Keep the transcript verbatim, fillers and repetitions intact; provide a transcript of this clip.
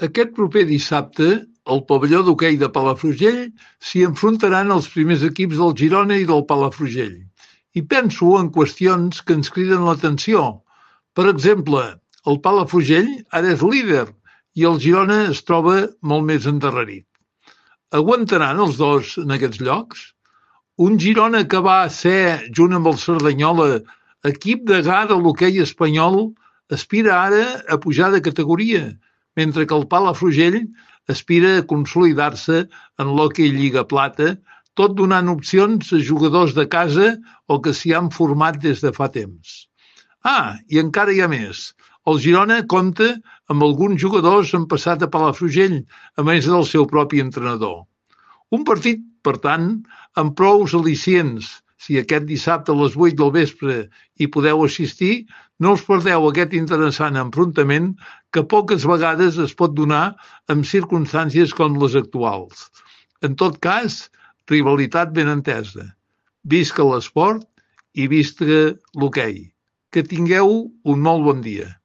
Aquest proper dissabte, al pavelló d'hoquei de Palafrugell s'hi enfrontaran els primers equips del Girona i del Palafrugell. I penso en qüestions que ens criden l'atenció. Per exemple, el Palafrugell ara és líder i el Girona es troba molt més endarrerit. Aguantaran els dos en aquests llocs? Un Girona que va ser, junt amb el Cerdanyola, equip degà de l'hoquei espanyol, aspira ara a pujar de categoria, mentre que el Palafrugell aspira a consolidar-se en l'hoquei Lliga Plata, tot donant opcions a jugadors de casa o que s'hi han format des de fa temps. Ah, i encara hi ha més. El Girona compta amb alguns jugadors en passat a Palafrugell, a més del seu propi entrenador. Un partit, per tant, amb prous al·licients. Si aquest dissabte a les vuit del vespre hi podeu assistir, no us perdeu aquest interessant enfrontament que poques vegades es pot donar en circumstàncies com les actuals. En tot cas, rivalitat ben entesa. Visca l'esport i visca l'hoquei. Que tingueu un molt bon dia.